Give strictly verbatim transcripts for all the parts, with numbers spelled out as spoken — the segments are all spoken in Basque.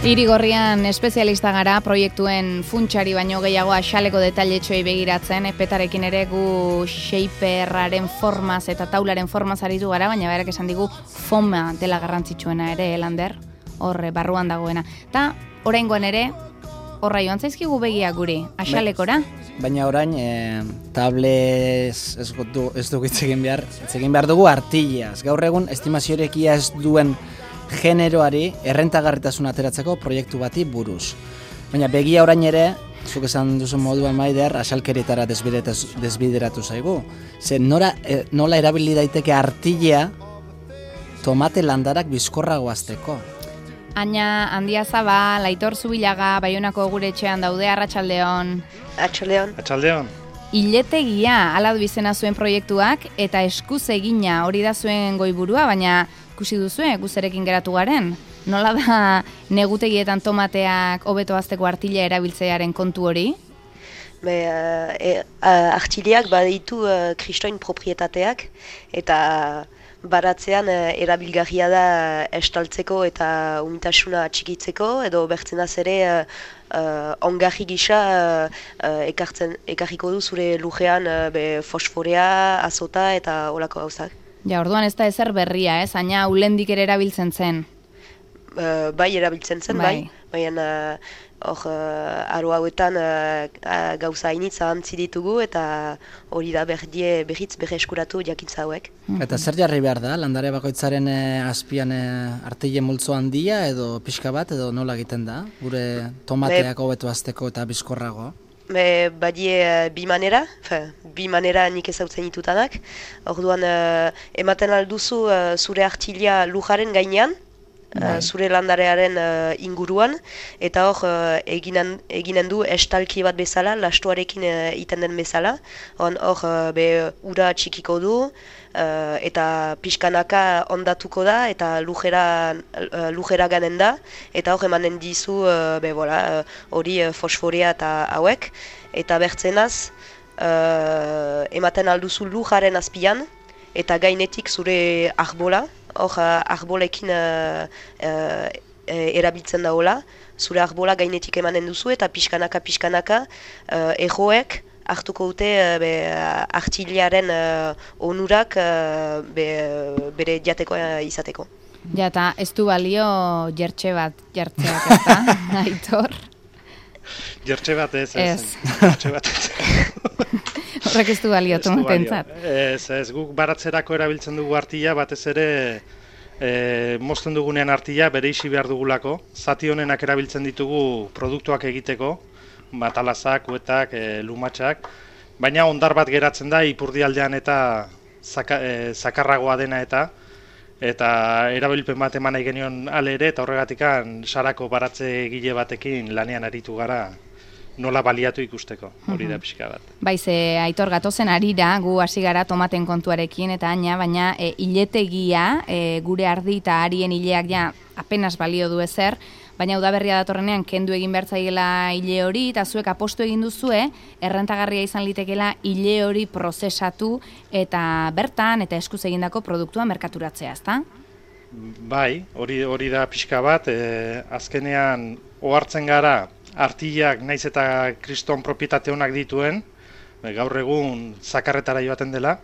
Irigorrian espezialista gara proiektuen funtsari baino gehiago axaleko detailetxoei begiratzen, petarekin ere gu shaperraren formaz eta taularen formaz aritu gara, baina berak esan digu foma dela garrantzitsuena ere, Lander, horre barruan dagoena. Ta oraingoan ere, horra joan zaizkigu begia guri, axalekora? Baina orain, e, tablez ez, du, ez dugu itzegin behar, itzegin behar dugu artillaz. Gaur egun, estimaziorekia ez duen generoari errentagarritasun ateratzeko proiektu bati buruz. Baina begia orain ere, zuk esan duzu moduan Maider, asalkerietara desbideratu zaigu. Ze nora, e, nola erabili daiteke artillea tomate landarak bizkorrago azteko. Aina Handia Zabal, Aitor Zubilaga, Baionako gure etxean daude, Arratsaldeon. Arratsaldeon. Arratsaldeon. Iletegia hala du izena zuen proiektuak eta eskuz egina hori da zuen goiburua, baina ikusi duzue, guzerekin geratu garen. Nola da negutegietan tomateak hobeto hazteko artila erabiltzearen kontu hori? Be, uh, e, uh, artileak baditu uh, kristoin proprietateak eta baratzean uh, erabilgarria da estaltzeko eta umitasuna txikitzeko edo bertzenaz ere uh, uh, ongarri gisa uh, uh, ekartzen, ekarriko du zure lujean uh, be, fosforea, azota eta olako gauzak. Ja, orduan ez da ezer berria, ez? Aina ulendik ere erabiltzen zen. Uh, bai erabiltzen zen, bai. bai. Baina hor uh, aro hauetan uh, uh, gauza hainitz ahantzi ditugu eta hori da berdie berriz berre eskuratu jakintza hauek. Eta zer jarri behar da? Landare bakoitzaren eh, azpian eh, artile multzo handia edo pixka bat edo nola egiten da? Gure tomateak hobeto hazteko eta bizkorrago? Be, badie uh, bi manera, fe, bi manera nik ezautzen ditutanak. Orduan uh, ematen alduzu uh, zure artilia lujaren gainean, uh, zure landarearen uh, inguruan, eta hor uh, eginen, eginen du estalki bat bezala, lastuarekin uh, iten den bezala. Hor uh, be ura txikiko du, uh, eta pixkanaka ondatuko da, eta lujera, uh, lujera ganen da, eta hor emanen dizu uh, be, bola, hori uh, fosforea eta hauek, eta bertzenaz uh, ematen alduzu lujaren azpian, eta gainetik zure arbola, hor uh, arbolekin uh, uh, erabiltzen daola, zure arbola gainetik emanen duzu, eta pixkanaka pixkanaka uh, erroek hartuko dute uh, be, artiliaren uh, onurak uh, be, bere jateko uh, izateko. Ja, eta ez du balio jertxe bat jartzeak, ez da, Aitor? Jertxe bat ez, ez. Ez. Jertxe bat ez. Horrek ez du balio tomatentzat. Ez, ez, guk baratzerako erabiltzen dugu artila, batez ere e, mozten dugunean artila bere isi behar dugulako. Zati honenak erabiltzen ditugu produktuak egiteko, batalazak, kuetak, e, lumatxak, baina ondar bat geratzen da ipurdialdean eta zaka, e, zakarragoa dena eta eta erabilpen bat eman nahi genion ale ere, eta horregatikan sarako baratze egile batekin lanean aritu gara nola baliatu ikusteko, hori da pixka bat. Baize, Aitor, gatozen arira, gu hasi gara tomaten kontuarekin, eta aina, baina e, iletegia, e, gure ardi eta arien ileak ja apenas balio du ezer, baina udaberria datorrenean kendu egin behar zaiela ile hori, eta zuek apostu egin duzue, errentagarria izan litekela ile hori prozesatu, eta bertan, eta eskuz egindako produktua merkaturatzea, ezta? Bai, hori hori da pixka bat, e, azkenean ohartzen gara, artilak naiz eta kriston propietate honak dituen, gaur egun zakarretara joaten dela,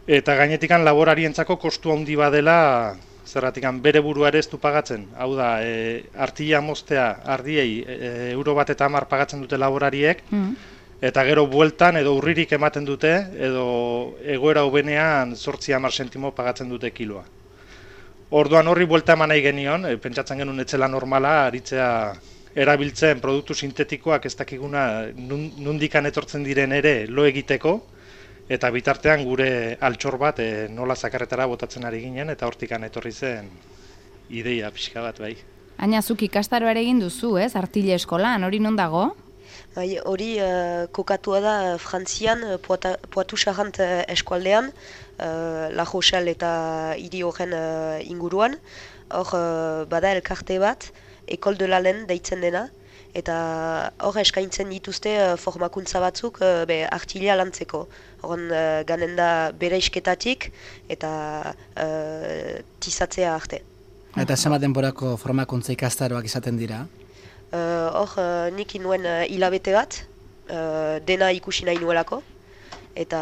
eta gainetikan laborarientzako kostu handi badela, zerratikan bere burua ere ez du pagatzen. Hau da, e, artila moztea ardiei e, euro bat eta hamar pagatzen dute laborariek, mm. eta gero bueltan edo urririk ematen dute, edo egoera hobenean zortzi hamar sentimo pagatzen dute kiloa. Orduan horri buelta eman nahi genion, e, pentsatzen genuen etzela normala, aritzea erabiltzen produktu sintetikoak ez dakiguna nundikan etortzen diren ere lo egiteko, eta bitartean gure altxor bat e, nola zakarretara botatzen ari ginen, eta hortikan etorri zen ideia pixka bat bai. Aina, zuk ikastaroa ere egin duzu, ez? Artile eskolan, hori non dago? Bai, hori uh, kokatua da Frantzian, Poitou-Charentes uh, eskualdean, uh, La Rochelle eta hiri horren uh, inguruan. Hor uh, bada elkarte bat, Ecole de Lalen deitzen dena, eta hor eskaintzen dituzte uh, formakuntza batzuk uh, be, artilia lantzeko. Horren uh, ganen da bere isketatik eta uh, tizatzea arte. Eta zenbat denborako formakuntza ikastaroak izaten dira? Hor, uh, uh, nik inuen uh, hilabete bat, uh, dena ikusi nahi nuelako, eta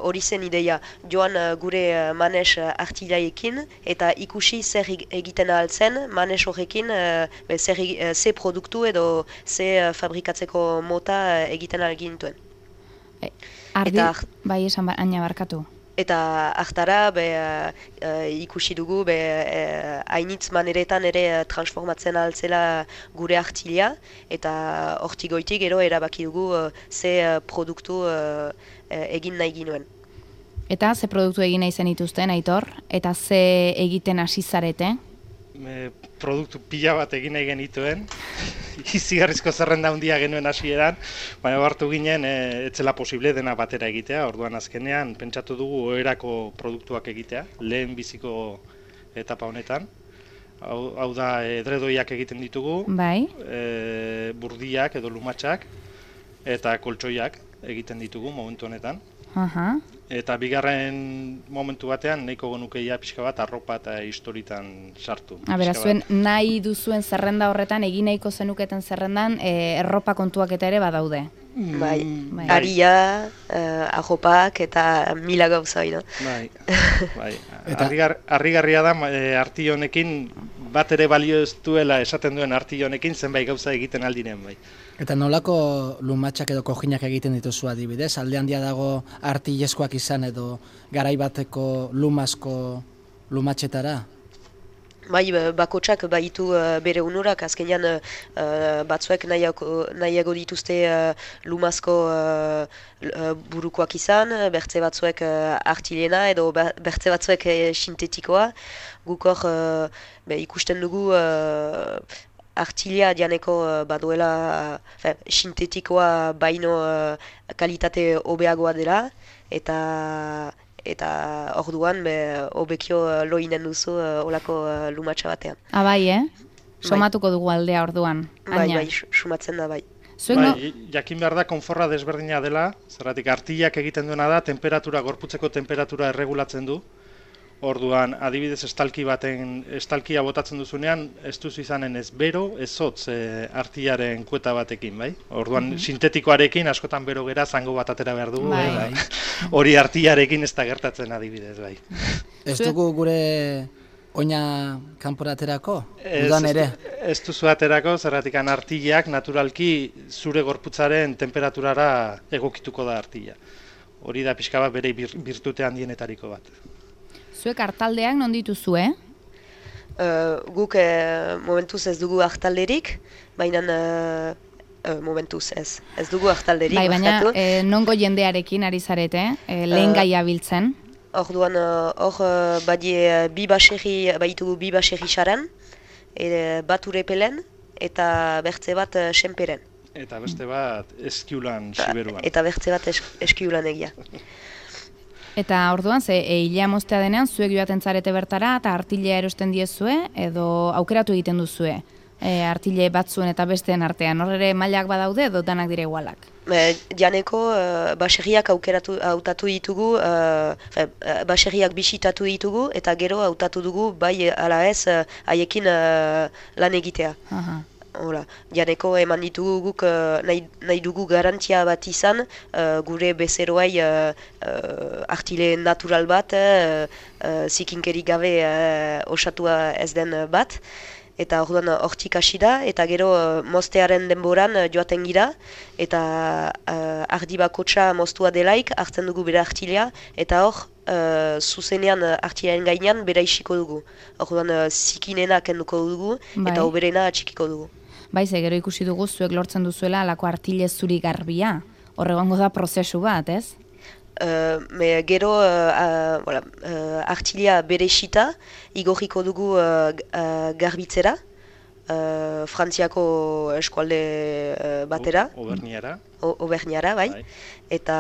hori uh, zen ideia, joan uh, gure uh, manes uh, artilaekin, eta ikusi zer egiten ahaltzen, manes horrekin, uh, be, zer uh, ze produktu edo ze uh, fabrikatzeko mota uh, egiten algintuen. E, ardi, eta, bai esan ba, aina barkatu. Eta hartara be, uh, ikusi dugu be, uh, hainitz maneretan ere uh, transformatzen altzela gure artilia, eta hortik goitik gero erabaki dugu uh, ze uh, produktu uh, uh, egin nahi ginuen. Eta ze produktu egin nahi zen ituzten, Aitor? Eta ze egiten hasi zarete? Me, produktu pila bat egin nahi genituen, izigarrizko zerrenda handia genuen hasieran, baina hartu ginen e, etzela posible dena batera egitea, orduan azkenean pentsatu dugu oherako produktuak egitea, lehen biziko etapa honetan. Hau, hau da edredoiak egiten ditugu, bai. E, burdiak edo lumatxak eta koltsoiak egiten ditugu momentu honetan. Aha. Eta bigarren momentu batean nahiko genukeia pixka bat arropa eta historitan sartu. Abera, zuen nahi duzuen zerrenda horretan, egin nahiko zenuketen zerrendan, e, erropa kontuak eta ere badaude. Mm, bai, bai. Aria, uh, arropak eta mila gauza, no? Bai, bai. Arrigar, arrigarria da e, arti honekin, bat ere balio ez duela esaten duen arti honekin zenbait gauza egiten aldinen, bai. Eta nolako lumatxak edo kojinak egiten dituzu adibidez? Alde handia dago artileskoak izan edo garai bateko lumazko lumatxetara? Bai, bakotsak baitu uh, bere unurak, azkenean uh, batzuek nahiago, nahiago dituzte uh, lumazko uh, burukoak izan, bertze batzuek uh, artilena edo bertze batzuek uh, sintetikoa. Guk hor uh, be, ikusten dugu uh, artilia dianeko uh, baduela uh, sintetikoa baino uh, kalitate hobeagoa dela, eta eta orduan be hobekio lo inen duzu uh, olako uh, lumatxa batean. Ah, bai, eh? Somatuko dugu aldea orduan. Bai, bai, sumatzen da, bai. Bai, jakin behar da konforra desberdina dela, zerratik artilak egiten duena da, temperatura, gorputzeko temperatura erregulatzen du. Orduan, adibidez estalki baten, estalkia botatzen duzunean, ez duzu izanen ez bero, ez hotz e, artilaren kueta batekin, bai? Orduan, mm-hmm. sintetikoarekin askotan bero gera zango bat atera behar dugu, bai. Bai. Hori artilarekin ez da gertatzen adibidez, bai. Ez dugu gure oina kanpora aterako? Ez, Udan ere? Ez duzu aterako, zerratikan artilak naturalki zure gorputzaren temperaturara egokituko da artila. Hori da pixka bat bere birtute handienetariko bat. Zuek hartaldeak non dituzue? Uh, guk uh, momentuz ez dugu hartalderik, baina uh, uh, momentuz ez. Ez dugu hartalderik. Bai, baina eh, nongo jendearekin ari zarete, eh, lehen uh, gaia biltzen? Orduan, hor uh, badie bi baserri, baitugu bi baserri saran, e, bat urepelen eta bertze bat uh, senperen. Eta beste bat eskiulan siberuan. Eta bertze bat es, eskiulan egia. Eta orduan, ze e, hilea moztea denean, zuek joaten zarete bertara, eta artilea erosten diezue, edo aukeratu egiten duzue, e, artile batzuen eta besteen artean, hor ere mailak badaude, edo danak dire igualak? E, janeko, uh, baserriak aukeratu, hautatu ditugu, uh, baserriak bisitatu ditugu, eta gero hautatu dugu, bai ala ez, haiekin uh, lan egitea. Aha. Hola, janeko eman ditugu guk uh, nahi, nahi dugu garantia bat izan, uh, gure bezeroai uh, uh, artile natural bat, uh, uh, zikinkeri gabe uh, osatua ez den bat, eta orduan hortik hasi da, eta gero uh, moztearen denboran uh, joaten gira, eta uh, ardi bakotxa moztua delaik, hartzen dugu bere artilea, eta hor, uh, zuzenean uh, artilearen gainean bera isiko dugu. Orduan uh, zikinena kenduko dugu, bai. Eta oberena atxikiko dugu. Bai, ze gero ikusi dugu zuek lortzen duzuela alako artile zuri garbia. Horregongo da prozesu bat, ez? Uh, me gero uh, uh, voilà, uh, artilea bere xita, igorriko dugu uh, uh, garbitzera, uh, Frantziako eskualde uh, batera. Oberniara. Oberniara, bai. bai. Eta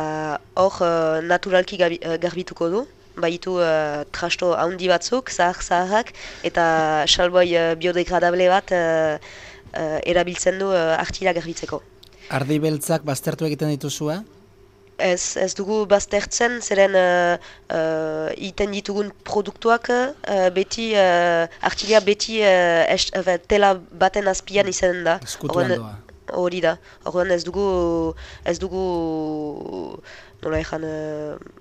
hor uh, naturalki gabi, uh, garbituko du. Baitu uh, trasto handi batzuk, zahar-zaharrak, eta salboi uh, biodegradable bat uh, uh, erabiltzen du uh, artilea garbitzeko. Ardi beltzak baztertu egiten dituzua? Ez, ez dugu baztertzen, zeren uh, uh, iten ditugun produktuak uh, beti, uh, artilia beti uh, est, uh, tela baten azpian izanen da. Eskutuan doa. Hori da. Orduan ez dugu, ez dugu, nola ezan, uh,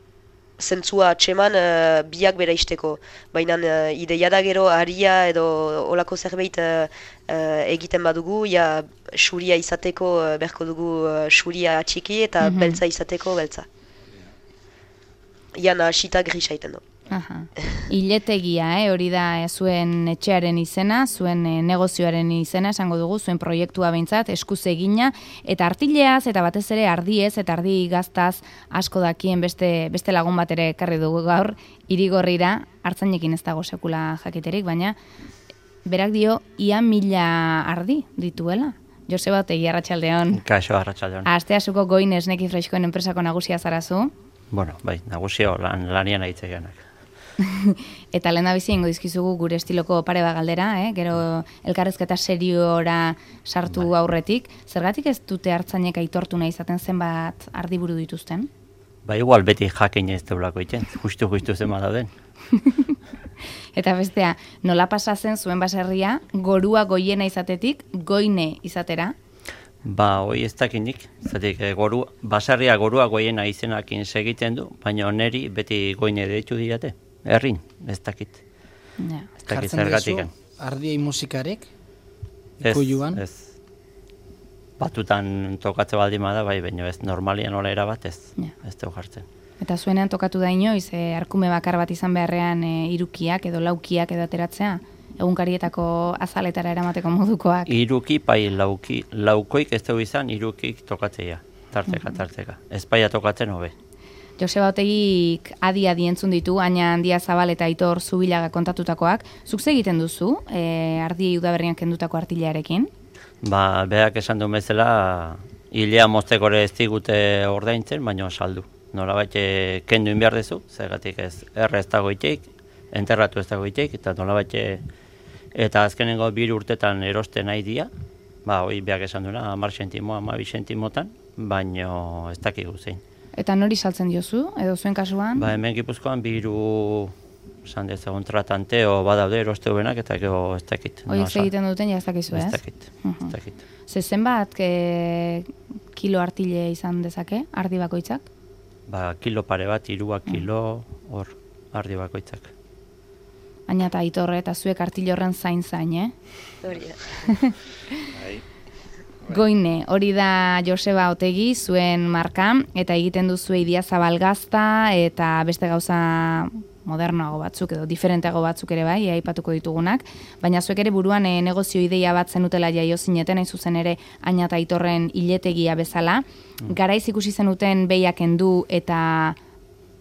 zentzua atseman uh, biak bera isteko. Baina uh, ideia da gero haria edo olako zerbait uh, uh, egiten badugu, ja xuria izateko uh, berko dugu uh, xuria atxiki eta mm-hmm. beltza izateko beltza. Ian hasita grisa iten du. Aha. Iletegia, eh? Hori da eh, zuen etxearen izena, zuen eh, negozioaren izena, esango dugu, zuen proiektua behintzat, eskuz egina, eta artileaz, eta batez ere ardiez, eta ardi gaztaz asko dakien beste, beste lagun bat ere ekarri dugu gaur, Irigorrira, hartzainekin ez dago sekula jakiterik, baina berak dio, ia mila ardi dituela. Joseba Otegi, arratsaldeon. Kaixo, arratsaldeon. Asteasuko Goin esneki freskoen enpresako nagusia zarazu. Bueno, bai, nagusio lan, lanian aitzegeanak. Eta lehen da bizi ingo dizkizugu gure estiloko pare bat galdera, eh? Gero elkarrezketa seriora sartu bai. Aurretik. Zergatik ez dute hartzainek aitortu nahi izaten zenbat ardiburu dituzten? Ba, igual beti jakin ez deulako iten, justu-justu zen dauden. Eta bestea, nola pasa zen zuen baserria, gorua goiena izatetik, goine izatera? Ba, hoi ez dakinik, zatik goru, baserria gorua goiena izenakin segiten du, baina neri beti goine deitu diate. Errin, ez dakit. Ja. Ez dakit zergatiken. Ardiei musikarek? Ez, Ikuiluan? ez. Batutan tokatze baldima da, bai, baina ez normalian nola erabat ez. Ja. Ez dugu jartzen. Eta zuenean tokatu da inoiz, e, arkume bakar bat izan beharrean e, irukiak edo laukiak edo ateratzea? Egunkarietako azaletara eramateko modukoak? Iruki, pai, lauki, laukoik ez dugu izan, irukik tokatzeia. Tarteka, tarteka. Ez paia tokatzen hobe. Joseba Otegik adi-adi entzun ditu, Aina Handia Zabal eta Aitor Zubilaga kontatutakoak. Zuk egiten duzu, e, ardiei udaberrian kendutako artilearekin? Ba, berak esan duen bezala, hilea mozteko ere ez digute ordaintzen, baina saldu. Nola bat kendu inbiar dezu, zergatik ez erre ez dago iteik, enterratu ez dago iteik, eta nola bat eta azkenengo bir urtetan erosten nahi dia, ba, hoi berak esan duena, hamar sentimo, hamabi sentimotan, baina ez dakigu zein. Eta nori saltzen diozu, edo zuen kasuan? Ba, hemen Gipuzkoan biru, esan dezagun tratante, o badaude eroste benak, eta gero ez dakit. Hoi ez egiten duten, ja ez dakizu, ez? Ez dakit, ez dakit. Ze zenbat e, kilo artile izan dezake, ardi bakoitzak? Ba, kilo pare bat, irua kilo, hor, ardi bakoitzak. Aina eta Aitorre eta zuek artile horren zain-zain, eh? Hori da. Goine, hori da Joseba Otegi, zuen marka, eta egiten duzu Idia Zabalgazta, eta beste gauza modernoago batzuk, edo diferenteago batzuk ere bai, aipatuko ditugunak, baina zuek ere buruan e, negozio ideia bat zenutela jaio zineten, hain zuzen ere Aina eta Aitorren iletegia bezala. Mm. Garaiz ikusi zenuten behiak endu eta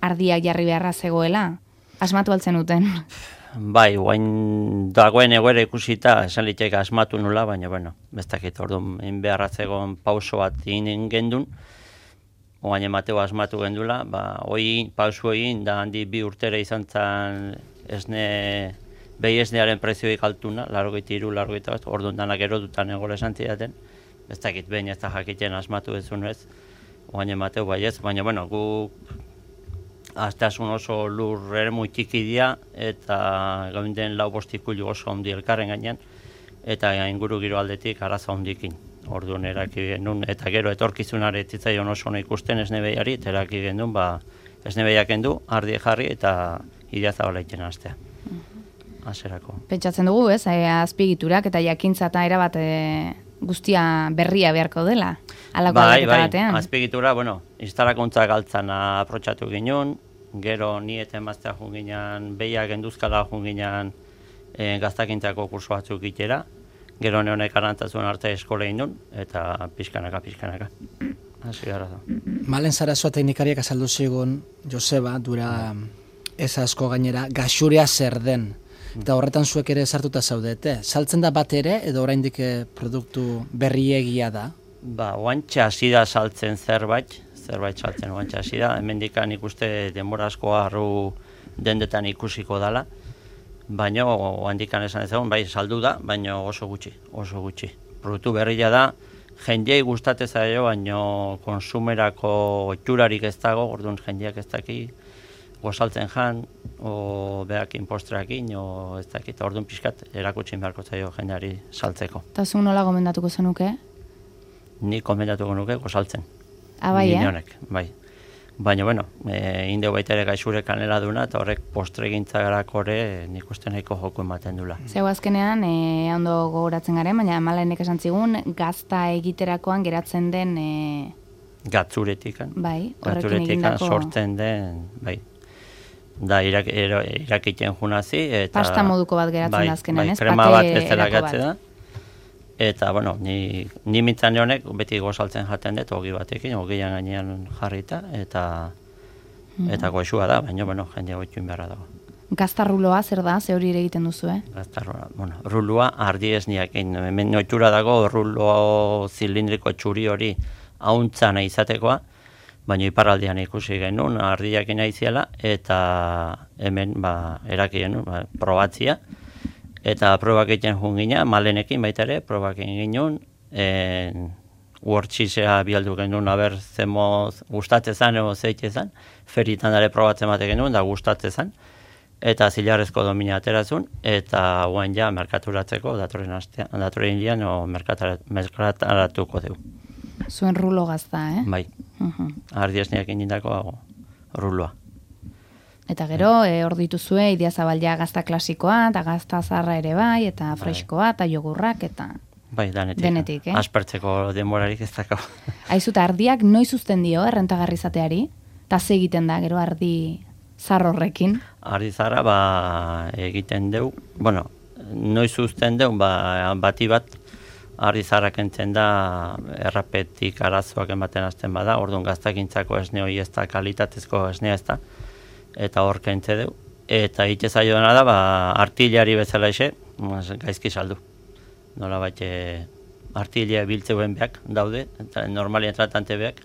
ardiak jarri beharra zegoela? Asmatu altzen duten? Bai, guain dagoen egoera ikusita, esan liteke asmatu nula, baina, bueno, bestakit, orduan, beharra zegoen pauso bat egin gendun, oain emateo asmatu gendula, ba, hoi pauso egin, da handi bi urtera izan zan esne, behi esnearen prezioik altuna, largoit iru, largoit bat, orduan danak erotutan egola esan zidaten, bestakit, behin ez da jakiten asmatu ez ez, oain emateo bai ez, baina, bueno, gu azteasun oso lur ere txiki dira, eta gaunden lau bostikulu oso handi elkarren gainean, eta inguru giro aldetik araza hondikin. Orduan eraki genuen, eta gero etorkizunare zitzaion oso hona ikusten esnebeiari, eta eraki genuen, ba, esnebeiak endu, ardi jarri eta Idia Zabala itxena astea. Aserako. Pentsatzen dugu, ez, e, azpigiturak eta jakintza eta erabat e, guztia berria beharko dela. Alako bai, bai, batean. azpigitura, bueno, instalakuntza galtzana aprotxatu ginen, gero ni eta emaztea jun ginen, behiak enduzkala jun ginen e, gaztakintzako kurso batzuk itera, gero neonek arantzazuen arte eskola indun, eta pixkanaka, pixkanaka. Hasi gara da. Malen Sarasua teknikariak azaldu zigun, Joseba, dura ez asko gainera, gaxuria zer den. Eta horretan zuek ere sartuta zaudete. Saltzen da bat ere, edo oraindik produktu berriegia da? Ba, oantxe hasi da saltzen zerbait, zerbait saltzen oantxe hasi da. Hemendikan ikuste denbora asko arru dendetan ikusiko dala. Baina oandikan esan ezagun, bai saldu da, baina oso gutxi, oso gutxi. Produktu berria da, jendiei gustatzen zaio, baino konsumerako itxurarik ez dago, orduan jendiak ez daki gozaltzen jan, o behakin postreakin, o ez dakit, orduan pixkat erakutsin beharko zaio jendeari saltzeko. Eta zu nola gomendatuko zenuke? Ni komendatuko nuke gozaltzen. Ah, bai, eh? Honek, bai. Baina, bueno, e, indeu baita ere gaixure kanela duna, eta horrek postregintza garako ere nik uste nahiko joku ematen dula. Zeu azkenean, e, ondo gogoratzen garen, baina Malenek esan zigun, gazta egiterakoan geratzen den... E... Gatzuretik, bai, horrekin egindako... sortzen den, bai. Da, irak, irakiten junazi, eta... Pasta moduko bat geratzen bai, da azkenean, bai, ez? Krema Pate bat bezala gatze da. bat. Eta, bueno, ni, ni mintzan honek beti gozaltzen jaten dut, ogi batekin, ogian gainean jarrita, eta mm. eta goxua da, baina, bueno, jendea goitxuin beharra dago. Gazta ruloa zer da, ze hori ere egiten duzu, eh? Gazta ruloa, bueno, ruloa ardi esniakin, hemen oitura dago rulo zilindriko txuri hori hauntza nahi izatekoa, baina iparraldean ikusi genuen, ardiakin nahi ziela, eta hemen, ba, erakien, ba, probatzia, eta probak egiten jun gina, Malenekin baita ere, probak egin ginen, uortxisea bialdu genuen, aber zemoz gustatzen zan, edo zeite zan, feritan dara probatzen bate genuen, da gustatzen zan, eta zilarrezko domina aterazun, eta guain ja merkaturatzeko, datorren astean, datorren indian, o merkataratuko dugu. Zuen rulo gazta, eh? Bai, uh-huh. Ardiesniak indako ruloa. Eta gero, e, hor dituzue, Idiazabal gazta klasikoa, eta gazta zarra ere bai, eta freskoa, eta jogurrak, eta... Bai, danetik. Denetik, eh? Aspertzeko denborarik ez dakau. Aizu, eta ardiak noiz uzten dio, errentagarri izateari? Eta ze egiten da, gero ardi zar horrekin? Ardi zarra, ba, egiten deu, bueno, noiz uzten deu, ba, bati bat, ardi zarrak entzen da, errapetik arazoak ematen hasten bada, orduan gaztakintzako esne hori ez da, kalitatezko esnea ez da, eta hor kentze deu, eta ite zaio dena da, ba, artillari bezala ise, gaizki saldu. Nola baite, artillea biltzeuen beak daude, eta normalien tratante beak,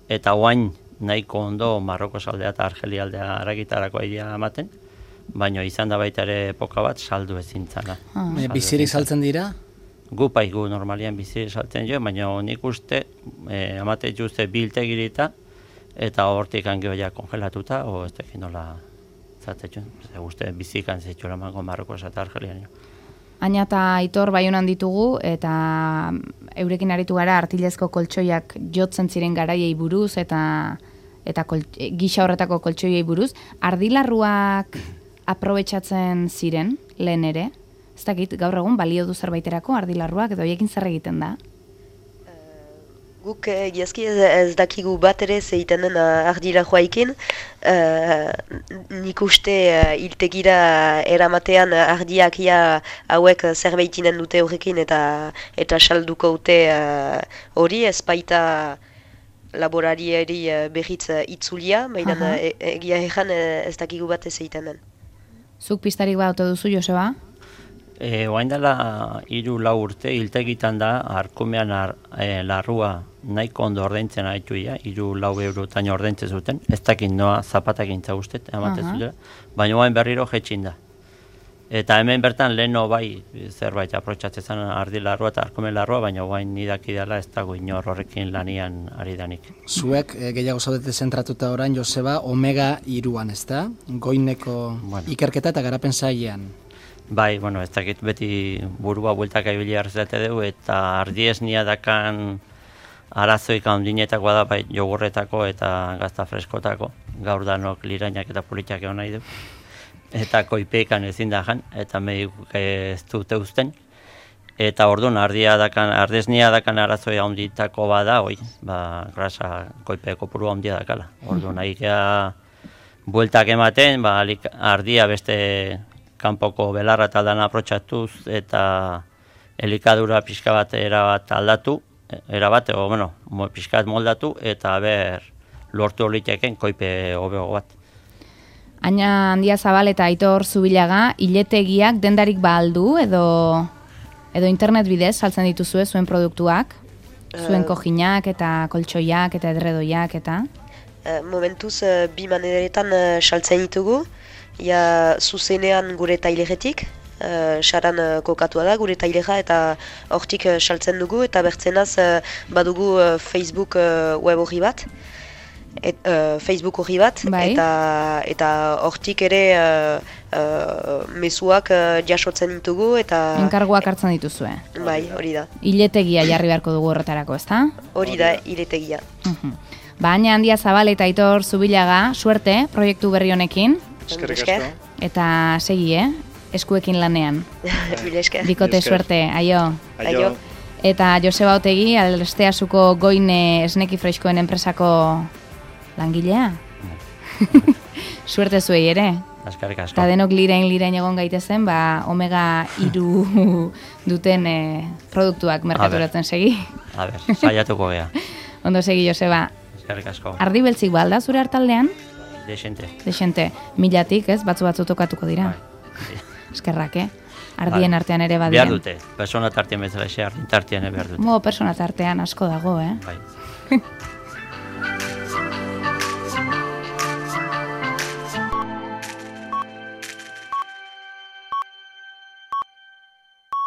eta oain nahiko ondo Marroko saldea eta Argelia aldea aragitarako aidea ematen, baina izan da baita ere epoka bat saldu ezintzana. Ah. Bizirik saltzen dira? Gu pai, gu normalian bizirik saltzen jo, baina nik uste, eh, amate juzte biltegirita, eta hortik angio ja kongelatuta, o ez tekin nola zatetxun, ze guzti bizikan zetxura mango Marroko eta Argelian. Aina eta Aitor Baionan ditugu, eta eurekin aritu gara artilezko koltsoiak jotzen ziren garaiei buruz, eta eta gisa horretako koltsoiei buruz. Ardilarruak aprobetxatzen ziren, lehen ere? Ez dakit, gaur egun balio du zerbaiterako ardilarruak, edo hiekin zer egiten da? Guk egiazki ez, ez dakigu bat ere zeiten den ardilarruaikin. Uh, nik uste uh, iltegira eramatean ardiak ia hauek zerbaitinen dute horrekin eta eta salduko dute hori uh, ez baita laborarieri uh, berriz uh, itzulia, baina uh, e, egia egan uh, ez dakigu bat ez zeiten den. Zuk pistarik bat ote duzu, Joseba? E, oain dela hiru lau urte, hiltegitan da, arkumean ar, e, larrua nahiko ondo ordaintzen haitu ia, hiru lau eurotan ordaintzen zuten, ez dakit noa zapatak intza guztet, ematen uh-huh. zutela, baina oain berriro jetxin da. Eta hemen bertan leheno bai zerbait aprotxatzen zen ardi larrua eta arkumen larrua, baina oain nidaki dela ez dago inor horrekin lanian ari danik. Zuek e, gehiago zaudete zentratuta orain, Joseba, omega iruan, ez da? Goineko bueno. Ikerketa eta garapen sailean. Bai, bueno, ez dakit beti burua bueltak aibili hartzate dugu, eta ardiesnia dakan arazoik handinetakoa da, bai, jogurretako eta gazta freskotako, gaur danok lirainak eta politiak egon nahi du. Eta koipekan ezin da jan, eta medikuk ez dute uzten. Eta orduan, ardia dakan, ardesnia dakan arazoi handitako bada, oi, ba, grasa koipeko purua handia dakala. Orduan, ahikea bueltak ematen, ba, ardia beste kanpoko belarra taldan aprotxatuz eta elikadura pixka bat erabat aldatu, erabat, o, bueno, pixka bat moldatu, eta ber lortu holiteken koipe hobego bat. Aina Handiazabal eta Aitor Zubilaga, iletegiak dendarik ba aldu, edo, edo internet bidez saltzen dituzue zuen produktuak? Zuen kojinak eta koltsoiak eta edredoiak eta? Uh, momentuz uh, bi maneretan uh, saltzen ditugu. Ja, zuzenean gure taileretik, uh, saran uh, kokatua da, gure taileja, eta hortik uh, saltzen dugu, eta bertzenaz uh, badugu uh, Facebook uh, web horri bat, et, uh, Facebook horri bat, bai. eta eta hortik ere uh, uh, mezuak uh, jasotzen ditugu, eta... Enkarguak hartzen dituzue. Bai, hori da. Iletegia jarri beharko dugu horretarako, ezta? Hori da, iletegia. Uh-huh. Baina handia Zabal eta Aitor Zubilaga, suerte proiektu berri honekin. Eskerrik asko. Eta segi, eh? Eskuekin lanean. Mila esker. Bikote Esker. suerte, aio. Aio. Eta Joseba Otegi, Alsteasuko Goine Esneki Freskoen enpresako langilea. Suerte zuei ere. Eskerrik asko. Eta denok lirein lirein egon gaitezen, ba, omega hiru duten eh, produktuak merkaturatzen segi. A ber, saiatuko gea. Ondo segi, Joseba. Eskerrik asko. Ardi beltzik balda zure hartaldean? Desente. Desente, milatik, ez? Batzu batzu tokatuko dira. Bai. Eskerrak, eh? Ardien artean ere Behar badian. dute, persona tartean bezala, ardin tartean behar dute. Mo, persona tartean asko dago, eh? Bai.